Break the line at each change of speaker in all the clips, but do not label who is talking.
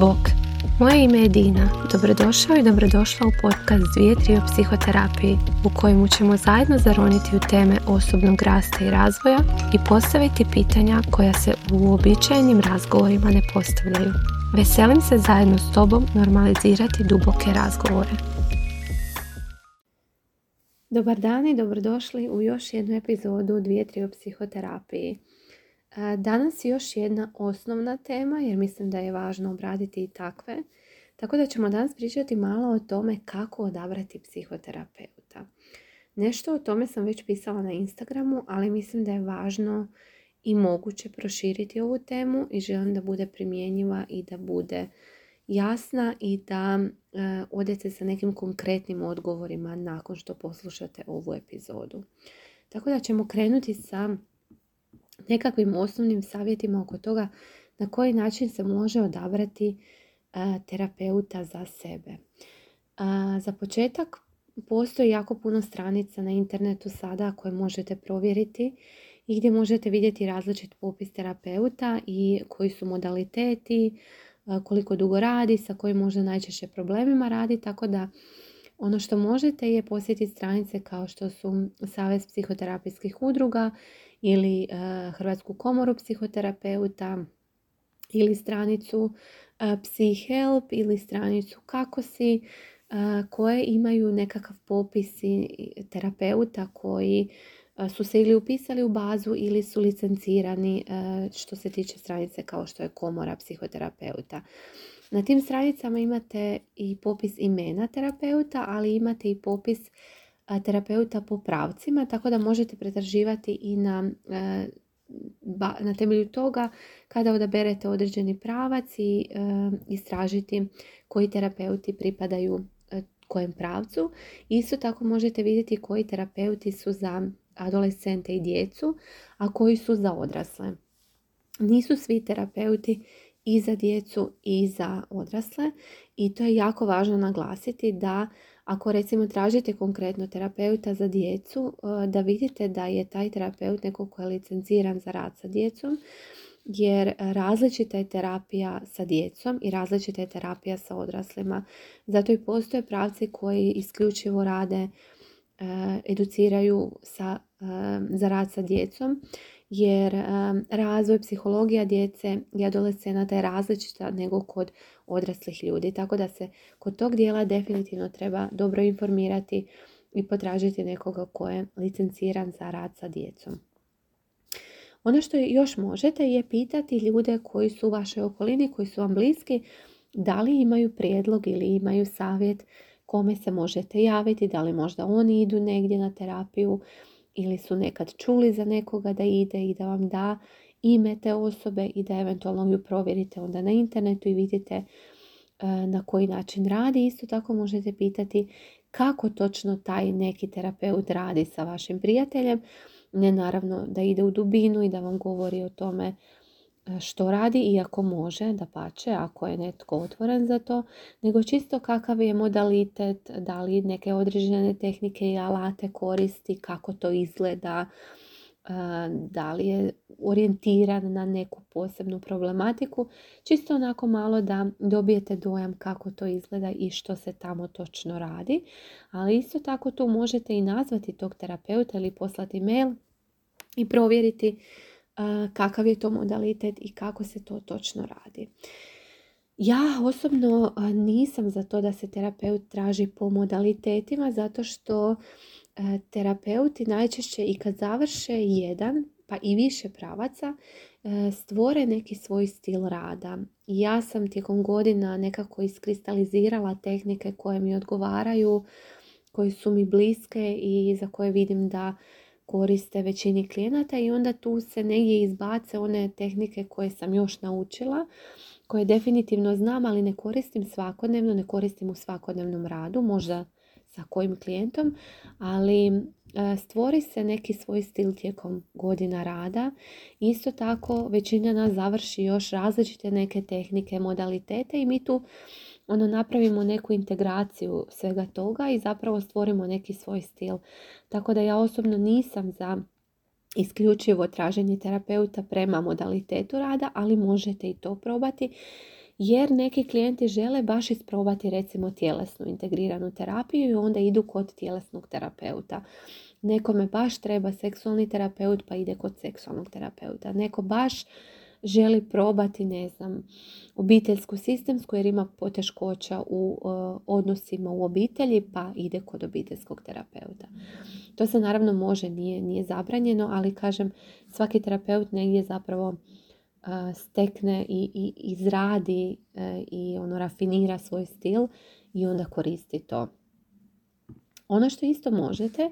Bok, moje ime je Dina. Dobrodošao i dobrodošla u podcast 2-3 o psihoterapiji u kojemu ćemo zajedno zaroniti u teme osobnog rasta i razvoja i postaviti pitanja koja se u uobičajenim razgovorima ne postavljaju. Veselim se zajedno s tobom normalizirati duboke razgovore. Dobar dan i dobrodošli u još jednu epizodu 2-3 o psihoterapiji. Danas je još jedna osnovna tema jer mislim da je važno obraditi i takve. Tako da ćemo danas pričati malo o tome kako odabrati psihoterapeuta. Nešto o tome sam već pisala na Instagramu, ali mislim da je važno i moguće proširiti ovu temu i želim da bude primjenjiva i da bude jasna i da odete sa nekim konkretnim odgovorima nakon što poslušate ovu epizodu. Tako da ćemo krenuti sa nekakvim osnovnim savjetima oko toga na koji način se može odabrati terapeuta za sebe. Za početak postoji jako puno stranica na internetu sada koje možete provjeriti i gdje možete vidjeti različit popis terapeuta i koji su modaliteti, koliko dugo radi, sa kojim možda najčešće problemima radi, tako da ono što možete je posjetiti stranice kao što su Savez psihoterapijskih udruga ili Hrvatsku komoru psihoterapeuta ili stranicu PsyHelp ili stranicu Kako si, koje imaju nekakav popis terapeuta koji su se ili upisali u bazu ili su licencirani što se tiče stranice kao što je Komora psihoterapeuta. Na tim stranicama imate i popis imena terapeuta, ali imate i popis terapeuta po pravcima, tako da možete pretraživati i na temelju toga kada odaberete određeni pravac i istražiti koji terapeuti pripadaju kojem pravcu. Isto tako možete vidjeti koji terapeuti su za adolescente i djecu, a koji su za odrasle. Nisu svi terapeuti i za djecu i za odrasle i to je jako važno naglasiti da ako recimo tražite konkretno terapeuta za djecu, da vidite da je taj terapeut neko ko je licenciran za rad sa djecom, jer različita je terapija sa djecom i različita je terapija sa odraslima. Zato i postoje pravci koji isključivo rade, educiraju za rad sa djecom, jer razvoj psihologija djece i adolescenata je različita nego kod odraslih ljudi. Tako da se kod tog dijela definitivno treba dobro informirati i potražiti nekoga ko je licenciran za rad sa djecom. Ono što još možete je pitati ljude koji su u vašoj okolini, koji su vam bliski, da li imaju prijedlog ili imaju savjet kome se možete javiti, da li možda oni idu negdje na terapiju ili su nekad čuli za nekoga da ide i da vam da ime te osobe i da eventualno ju provjerite onda na internetu i vidite na koji način radi. Isto tako možete pitati kako točno taj neki terapeut radi sa vašim prijateljem. Ne naravno da ide u dubinu i da vam govori o tome što radi, iako može, dapače, ako je netko otvoren za to, nego čisto kakav je modalitet, da li neke određene tehnike i alate koristi, kako to izgleda, da li je orijentiran na neku posebnu problematiku, čisto onako malo da dobijete dojam kako to izgleda i što se tamo točno radi. Ali isto tako tu možete i nazvati tog terapeuta ili poslati mail i provjeriti kakav je to modalitet i kako se to točno radi. Ja osobno nisam za to da se terapeut traži po modalitetima, zato što terapeuti najčešće i kad završe jedan pa i više pravaca stvore neki svoj stil rada. Ja sam tijekom godina nekako iskristalizirala tehnike koje mi odgovaraju, koje su mi bliske i za koje vidim da koriste većini klijenata i onda tu se negdje izbace one tehnike koje sam još naučila, koje definitivno znam, ali ne koristim svakodnevno, ne koristim u svakodnevnom radu, možda sa kojim klijentom, ali stvori se neki svoj stil tijekom godina rada. Isto tako većina nas završi još različite neke tehnike, modalitete i mi tu napravimo neku integraciju svega toga i zapravo stvorimo neki svoj stil. Tako da ja osobno nisam za isključivo traženje terapeuta prema modalitetu rada, ali možete i to probati. jer neki klijenti žele baš isprobati recimo tjelesnu integriranu terapiju i onda idu kod tjelesnog terapeuta. Nekome baš treba seksualni terapeut pa ide kod seksualnog terapeuta. Neko baš želi probati, ne znam, obiteljsku sistemsku jer ima poteškoća u odnosima u obitelji pa ide kod obiteljskog terapeuta. To se naravno može, nije zabranjeno, ali kažem, svaki terapeut negdje zapravo stekne i izradi i rafinira svoj stil i onda koristi to. Ono što isto možete,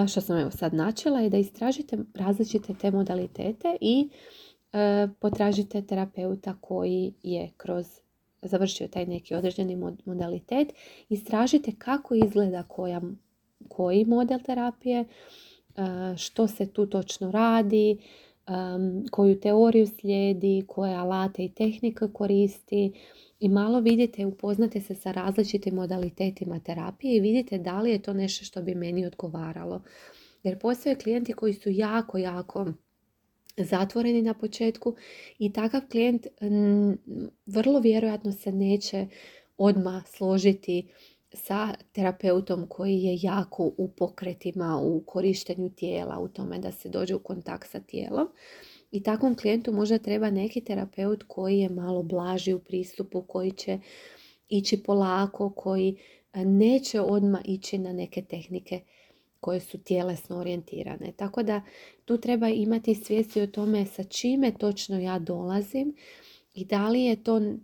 što sam evo sad načela, je da istražite različite te modalitete i potražite terapeuta koji je završio taj neki određeni modalitet. Istražite kako izgleda koji model terapije, što se tu točno radi, koju teoriju slijedi, koje alate i tehnike koristi i malo vidite, upoznate se sa različitim modalitetima terapije i vidite da li je to nešto što bi meni odgovaralo. Jer postoje klijenti koji su jako, jako zatvoreni na početku i takav klijent vrlo vjerojatno se neće odmah složiti sa terapeutom koji je jako u pokretima, u korištenju tijela, u tome da se dođe u kontakt sa tijelom. I takvom klijentu možda treba neki terapeut koji je malo blaži u pristupu, koji će ići polako, koji neće odmah ići na neke tehnike koje su tjelesno orijentirane. Tako da tu treba imati svijesti o tome sa čime točno ja dolazim i da li je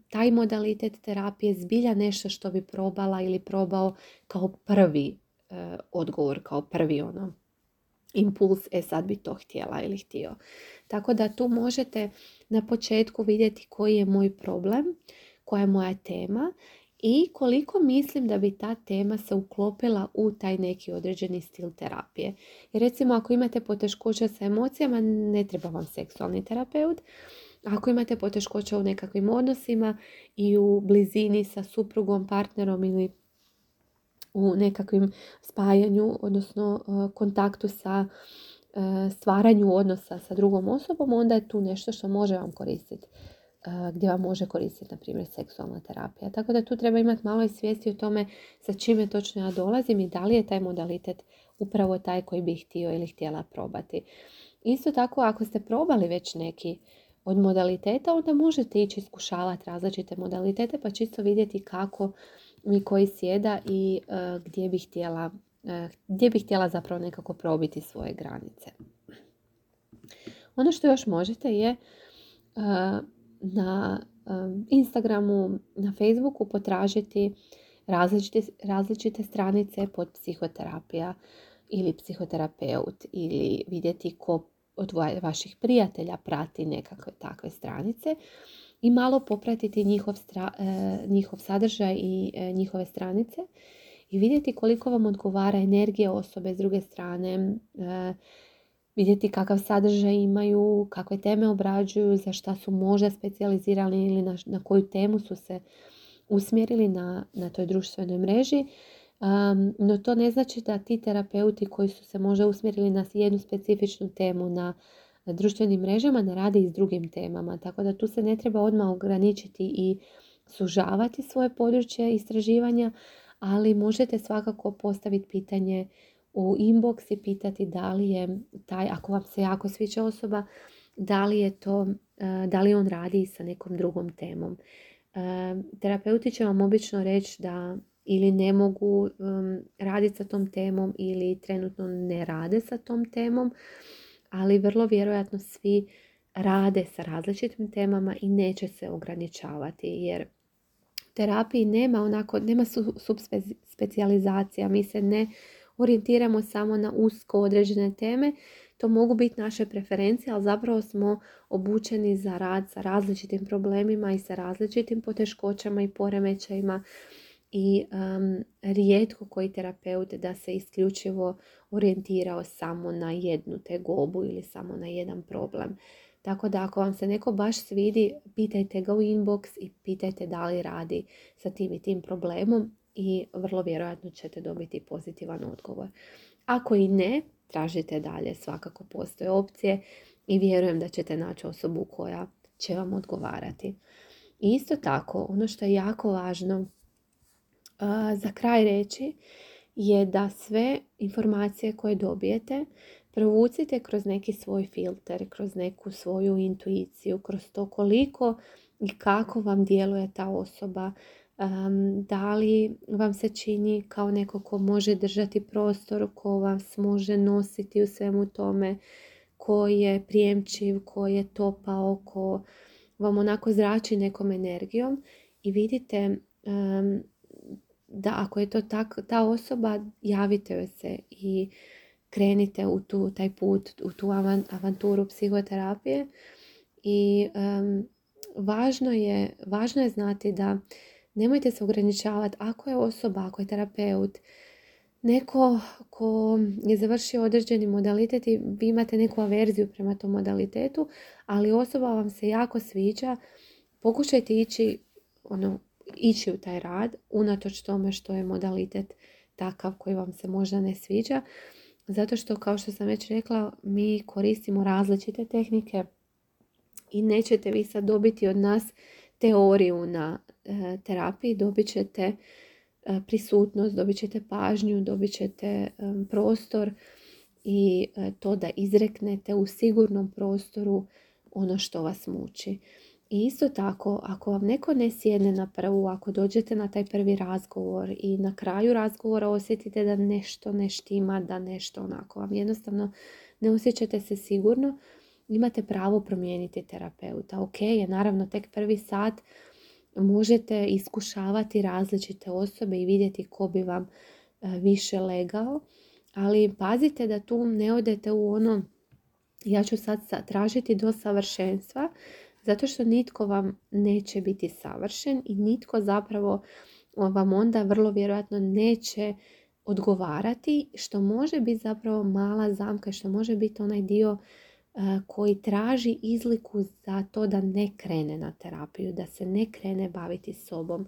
taj modalitet terapije zbilja nešto što bi probala ili probao kao prvi odgovor, kao prvi impuls, sad bi to htjela ili htio. Tako da tu možete na početku vidjeti koji je moj problem, koja je moja tema i koliko mislim da bi ta tema se uklopila u taj neki određeni stil terapije. Jer recimo ako imate poteškoća sa emocijama, ne treba vam seksualni terapeut. Ako imate poteškoća u nekakvim odnosima i u blizini sa suprugom, partnerom ili u nekakvim spajanju, odnosno kontaktu sa stvaranju odnosa sa drugom osobom, onda je tu nešto što može vam koristiti, gdje vam može koristiti, na primjer, seksualna terapija. Tako da tu treba imati malo i svijesti o tome sa čime točno ja dolazim i da li je taj modalitet upravo taj koji bih htio ili htjela probati. Isto tako, ako ste probali već neki od modaliteta, onda možete ići iskušavati različite modalitete pa čisto vidjeti kako mi koji sjeda i gdje bih htjela zapravo nekako probiti svoje granice. Ono što još možete je na Instagramu, na Facebooku potražiti različite stranice pod psihoterapija ili psihoterapeut ili vidjeti ko od vaših prijatelja prati nekakve takve stranice i malo popratiti njihov sadržaj i njihove stranice i vidjeti koliko vam odgovara energija osobe s druge strane, vidjeti kakav sadržaj imaju, kakve teme obrađuju, za šta su možda specijalizirani ili na koju temu su se usmjerili na toj društvenoj mreži. No to ne znači da ti terapeuti koji su se možda usmjerili na jednu specifičnu temu na društvenim mrežama ne rade i s drugim temama. Tako da tu se ne treba odmah ograničiti i sužavati svoje područje istraživanja, ali možete svakako postaviti pitanje u inbox i pitati da li je taj, ako vam se jako sviđa osoba, da li on radi sa nekom drugom temom. Terapeuti će vam obično reći da ili ne mogu raditi sa tom temom ili trenutno ne rade sa tom temom, ali vrlo vjerojatno svi rade sa različitim temama i neće se ograničavati jer u terapiji nema subspecijalizacija, mi se ne orijentiramo samo na usko određene teme, to mogu biti naše preferencije, ali zapravo smo obučeni za rad sa različitim problemima i sa različitim poteškoćama i poremećajima i rijetko koji terapeut da se isključivo orijentirao samo na jednu tegobu ili samo na jedan problem. Tako da ako vam se neko baš svidi, pitajte ga u inbox i pitajte da li radi sa tim i tim problemom i vrlo vjerojatno ćete dobiti pozitivan odgovor. Ako i ne, tražite dalje, svakako postoje opcije i vjerujem da ćete naći osobu koja će vam odgovarati. I isto tako, ono što je jako važno za kraj reći je da sve informacije koje dobijete provucite kroz neki svoj filter, kroz neku svoju intuiciju, kroz to koliko i kako vam djeluje ta osoba. Da li vam se čini kao neko ko može držati prostor, ko vas može nositi u svemu tome, ko je prijemčiv, ko je topao, ko vam onako zrači nekom energijom i vidite da ako je to ta osoba, javite joj se i krenite u taj put, u tu avanturu psihoterapije. I važno je znati da nemojte se ograničavati ako je osoba, ako je terapeut, neko ko je završio određeni modalitet i vi imate neku averziju prema tom modalitetu, ali osoba vam se jako sviđa, pokušajte ići u taj rad, unatoč tome što je modalitet takav koji vam se možda ne sviđa. Zato što, kao što sam već rekla, mi koristimo različite tehnike i nećete vi sad dobiti od nas teoriju na terapiji, dobit ćete prisutnost, dobit ćete pažnju, dobit ćete prostor i to da izreknete u sigurnom prostoru ono što vas muči. I isto tako, ako vam neko ne sjedne na prvu, ako dođete na taj prvi razgovor i na kraju razgovora osjetite da nešto ne štima, da nešto onako vam jednostavno ne osjećate se sigurno, imate pravo promijeniti terapeuta. Ok, je naravno tek prvi sat, možete iskušavati različite osobe i vidjeti ko bi vam više legao, ali pazite da tu ne odete u ono, ja ću sad tražiti do savršenstva, zato što nitko vam neće biti savršen i nitko zapravo vam onda vrlo vjerojatno neće odgovarati, što može biti zapravo mala zamka, što može biti onaj dio koji traži izliku za to da ne krene na terapiju, da se ne krene baviti sobom.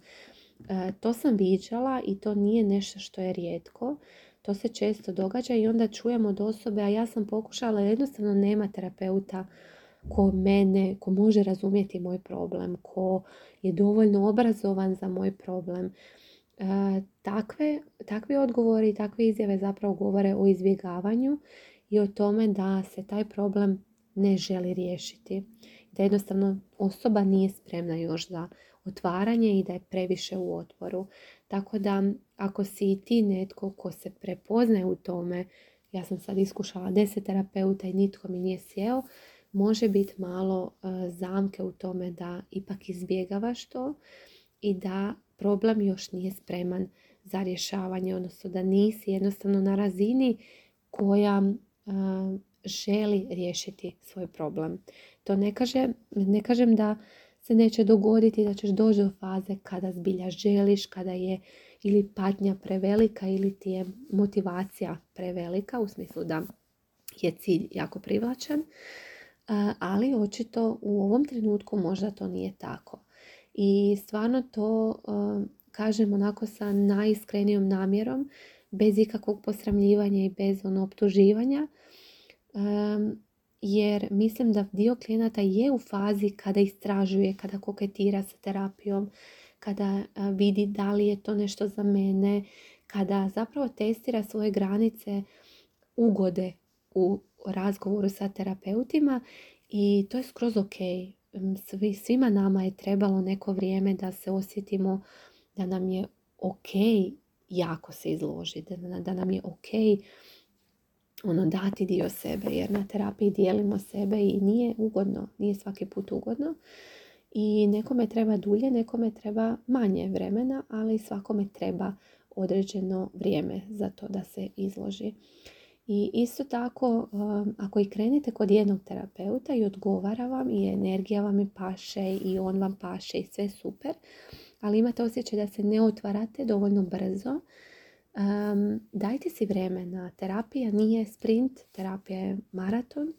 To sam viđala i to nije nešto što je rijetko. To se često događa i onda čujemo od osobe, a ja sam pokušala, jednostavno nema terapeuta ko može razumjeti moj problem, ko je dovoljno obrazovan za moj problem. Takvi odgovori i takve izjave zapravo govore o izbjegavanju i o tome da se taj problem ne želi riješiti. Da jednostavno osoba nije spremna još za otvaranje i da je previše u otporu. Tako da ako si i ti netko ko se prepoznaje u tome, ja sam sad iskušala 10 terapeuta i nitko mi nije sjeo, može biti malo zamke u tome da ipak izbjegavaš to i da problem još nije spreman za rješavanje, odnosno da nisi jednostavno na razini koja želi riješiti svoj problem. To ne kažem da se neće dogoditi, da ćeš doći do faze kada zbilja želiš, kada je ili patnja prevelika ili ti je motivacija prevelika, u smislu da je cilj jako privlačan, ali očito u ovom trenutku možda to nije tako. I stvarno to kažem onako sa najiskrenijom namjerom, bez ikakvog posramljivanja i bez optuživanja, jer mislim da dio klijenata je u fazi kada istražuje, kada koketira sa terapijom, kada vidi da li je to nešto za mene, kada zapravo testira svoje granice ugode u razgovoru sa terapeutima i to je skroz ok. Svima nama je trebalo neko vrijeme da se osjetimo da nam je ok jako se izložiti, da nam je ok dati dio sebe, jer na terapiji dijelimo sebe i nije ugodno, nije svaki put ugodno. I nekome treba dulje, nekome treba manje vremena, ali svakome treba određeno vrijeme za to da se izloži. I isto tako, ako i krenete kod jednog terapeuta i odgovara vam i energija vam i paše i on vam paše i sve super, ali imate osjećaj da se ne otvarate dovoljno brzo, dajte si vremena. Terapija nije sprint, terapija je maraton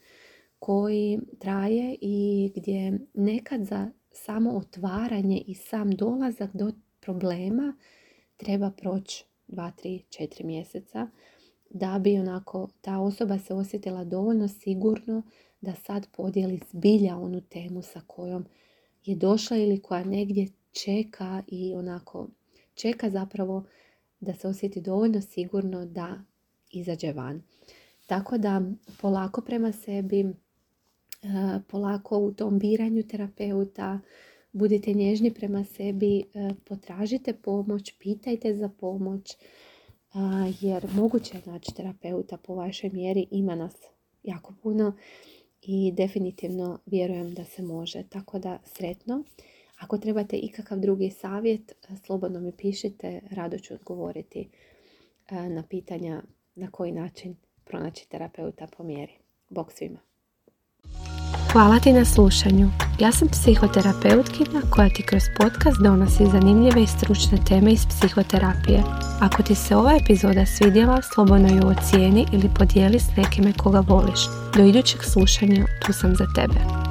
koji traje i gdje nekad za samo otvaranje i sam dolazak do problema treba proći 2, 3, 4 mjeseca da bi onako ta osoba se osjetila dovoljno sigurno da sad podijeli zbilja onu temu sa kojom je došla ili koja negdje čeka i onako čeka zapravo da se osjeti dovoljno sigurno da izađe van. Tako da polako prema sebi, polako u tom biranju terapeuta, budite nježni prema sebi, potražite pomoć, pitajte za pomoć, jer moguće je naći terapeuta po vašoj mjeri, ima nas jako puno i definitivno vjerujem da se može. Tako da sretno. Ako trebate ikakav drugi savjet, slobodno mi pišite, rado ću odgovoriti na pitanja na koji način pronaći terapeuta po mjeri. Bog svima.
Hvala ti na slušanju. Ja sam psihoterapeutkinja koja ti kroz podcast donosi zanimljive i stručne teme iz psihoterapije. Ako ti se ova epizoda svidjela, slobodno ju ocijeni ili podijeli s nekime koga voliš. Do idućeg slušanja, tu sam za tebe.